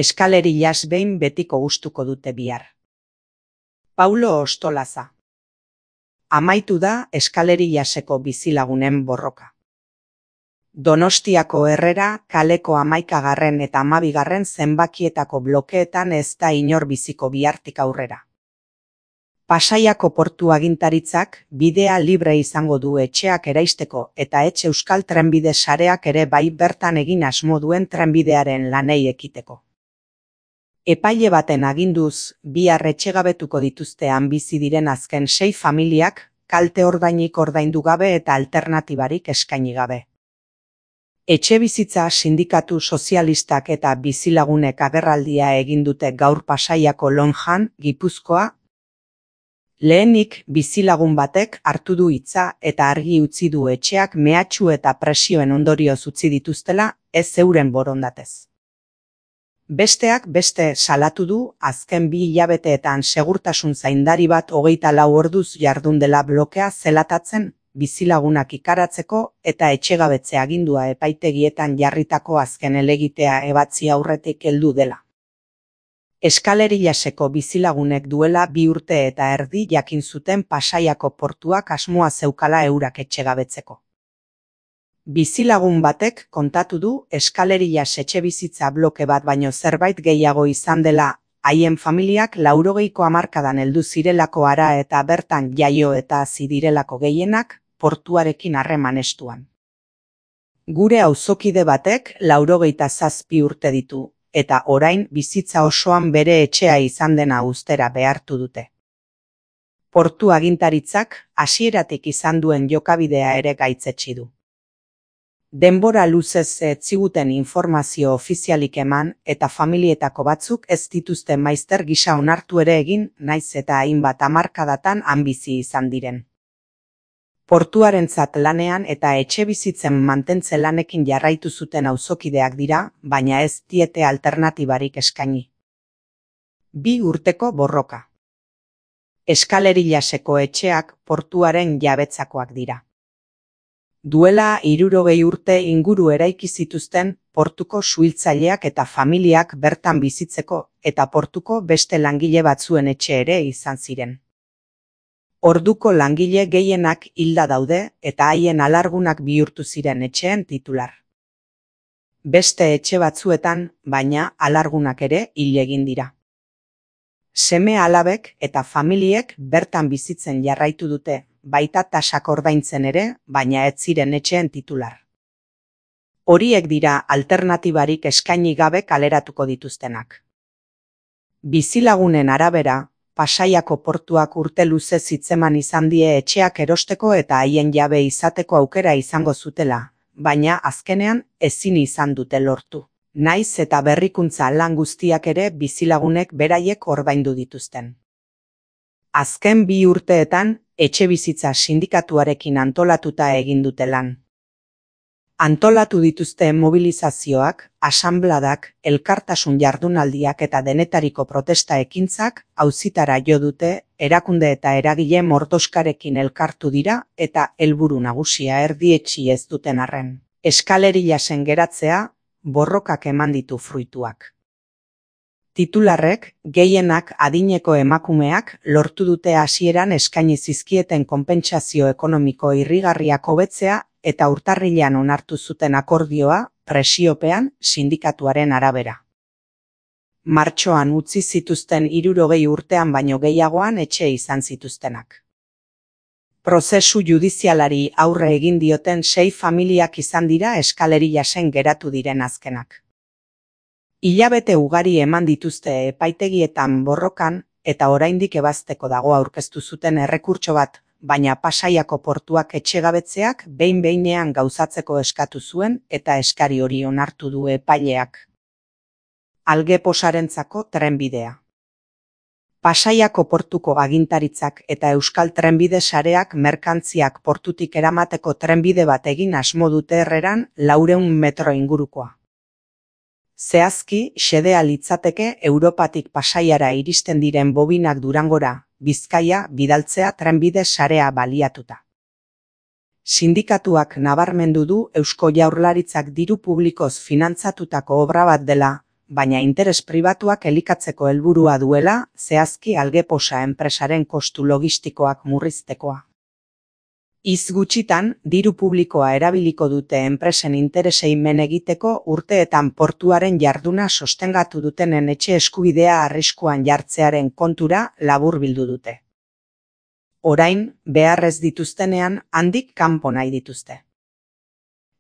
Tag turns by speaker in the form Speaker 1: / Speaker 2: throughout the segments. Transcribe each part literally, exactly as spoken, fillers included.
Speaker 1: Eskaleriaz behin betiko gustuko dute bihar. Paulo Ostolaza. Amaitu da Eskaleriaseko bizilagunen borroka. Donostiako Herrera kaleko hamaikagarren eta hamabigarren zenbakietako blokeetan ez da inor biziko bihartik aurrera. Pasaiako portu agintaritzak bidea libre izango du etxeak eraisteko eta etxe euskal trenbide sareak ere bai bertan egin asmo duen trenbidearen lanei ekiteko. Epaile baten aginduz, bihar etxegabetuko dituztean bizi diren azken sei familiak kalte ordainik ordaindu gabe eta alternatibarik eskaini gabe. Etxebizitza sindikatu sozialistak eta bizilagunek agerraldia egin dute gaur Pasaiako Lonjan, Gipuzkoa. Lehenik bizilagun batek hartu du hitza eta argi utzi du etxeak mehatxu eta presioen ondorioz utzi dituztela, ez euren borondatez. Besteak beste salatu du azken bi hilabeteetan segurtasun zaindari bat hogeita lau orduz jardun dela blokea zelatatzen bizilagunak ikaratzeko eta etxegabetze agindua epaitegietan jarritako azken helegitea ebatzi aurretik heldu dela. Eskaleriaseko bizilagunek duela bi urte eta erdi jakin zuten Pasaiako portuak asmoa zeukala eurak etxegabetzeko. Bizilagun batek kontatu du Eskalerias etxebizitza bloke bat baino zerbait gehiago izan dela, haien familiak laurogeiko hamarkadan heldu zirelako hara eta bertan jaio eta hazi direlako gehienak portuarekin harreman estuan. Gure auzokide batek laurogeita zazpi urte ditu, eta orain bizitza osoan bere etxea izan dena uztera behartu dute. Portu agintaritzak hasieratik izan duen jokabidea ere gaitzetsi du. Denbora luzez ez ziguten informazio ofizialik eman eta familietako batzuk ez dituzten maizter gisa onartu ere egin, naiz eta hainbat hamarkadatan han bizi izan diren. Portuarentzat lanean eta etxebizitzen mantentze lanekin jarraitu zuten auzokideak dira, baina ez diete alternatibarik eskaini. Bi urteko borroka. Eskaleriaseko etxeak portuaren jabetzakoak dira. Duela hirurogei urte inguru eraiki zituzten portuko suhiltzaileak eta familiak bertan bizitzeko eta portuko beste langile batzuen etxe ere izan ziren. Orduko langile gehienak hilda daude eta haien alargunak bihurtu ziren etxeen titular. Beste etxe batzuetan, baina alargunak ere hil egin dira. Seme alabek eta familiek bertan bizitzen jarraitu dute, baita tasak ordaintzen ere, baina ez ziren etxeen titular. Horiek dira alternatibarik eskaini gabe kaleratuko dituztenak. Bizilagunen arabera, Pasaiako portuak urte luze zitzeman izan die etxeak erosteko eta haien jabe izateko aukera izango zutela, baina azkenean ezin izan dute lortu. Naiz eta berrikuntza lan guztiak ere bizilagunek beraiek ordaindu dituzten. Azken bi urteetan, etxebizitza sindikatuarekin antolatuta egin dute lan. Antolatu dituzte mobilizazioak, asanbladak, elkartasun jardunaldiak eta denetariko protesta ekintzak auzitara jo dute, erakunde eta eragile mordoskarekin elkartu dira eta helburu nagusia erdietsi ez duten arren. Eskaleriasen geratzea, borrokak eman ditu fruituak. Titularrek, gehienak adineko emakumeak lortu dute hasieran eskaini zizkieten konpentsazio ekonomiko irrigarriak hobetzea eta urtarrilean onartu zuten akordioa presiopean sindikatuaren arabera. Martxoan utzi zituzten hirurogei urtean baino gehiagoan etxe izan zituztenak. Prozesu judizialari aurre egin dioten sei familiak izan dira Eskaleriasen geratu diren azkenak. Hilabete ugari eman dituzte epaitegietan borrokan eta oraindik ebazteko dago aurkeztu zuten errekurtso bat, baina Pasaiako portuak etxegabetzeak behin-behinean gauzatzeko eskatu zuen eta eskari hori onartu du epaileak. Algeposarentzako trenbidea. Pasaiako portuko agintaritzak eta Euskal Trenbide sareak merkantziak portutik eramateko trenbide bat egin asmo dute Herreran laurehun metro ingurukoa. Zehazki, xedea litzateke Europatik Pasaiara iristen diren bobinak Durangora, Bizkaia bidaltzea trenbide sarea baliatuta. Sindikatuak nabarmendu du Eusko Jaurlaritzak diru publikoz finantzatutako obra bat dela, baina interes pribatuak elikatzeko helburua duela, zehazki Algeposa enpresaren kostu logistikoak murriztekoa. Hitz gutxitan, diru publikoa erabiliko dute enpresen interesei men egiteko urteetan portuaren jarduna sostengatu dutenen etxe eskubidea arriskuan jartzearen kontura laburbildu dute. Orain, beharrez dituztenean handik kanpo nahi dituzte.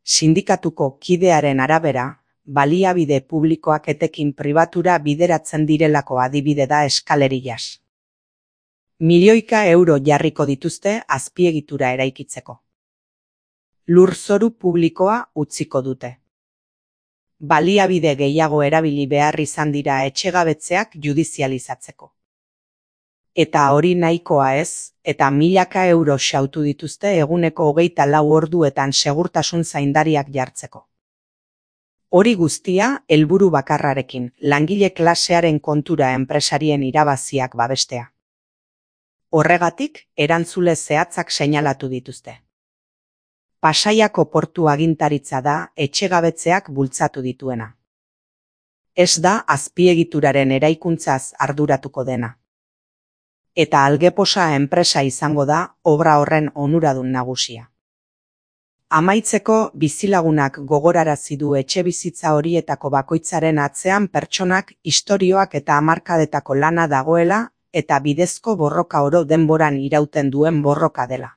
Speaker 1: Sindikatuko kidearen arabera, baliabide publikoak etekin pribatura bideratzen direlako adibide da Eskaleriaz. Milioika euro jarriko dituzte azpiegitura eraikitzeko. Lurzoru publikoa utziko dute. Baliabide gehiago erabili behar izan dira etxegabetzeak judizializatzeko. Eta hori nahikoa ez, eta milaka euro xautu dituzte eguneko hogeita lau orduetan segurtasun zaindariak jartzeko. Hori guztia, helburu bakarrarekin, langile klasearen kontura enpresarien irabaziak babestea. Horregatik, erantzule zehatzak seinalatu dituzte. Pasaiako portu agintaritza da etxegabetzeak bultzatu dituena. Ez da azpiegituraren eraikuntzaz arduratuko dena. Eta Algeposa enpresa izango da obra horren onuradun nagusia. Amaitzeko, bizilagunak gogorarazi du etxebizitza horietako bakoitzaren atzean pertsonak, istorioak eta hamarkadetako lana dagoela, eta bidezko borroka oro denboran irauten duen borroka dela.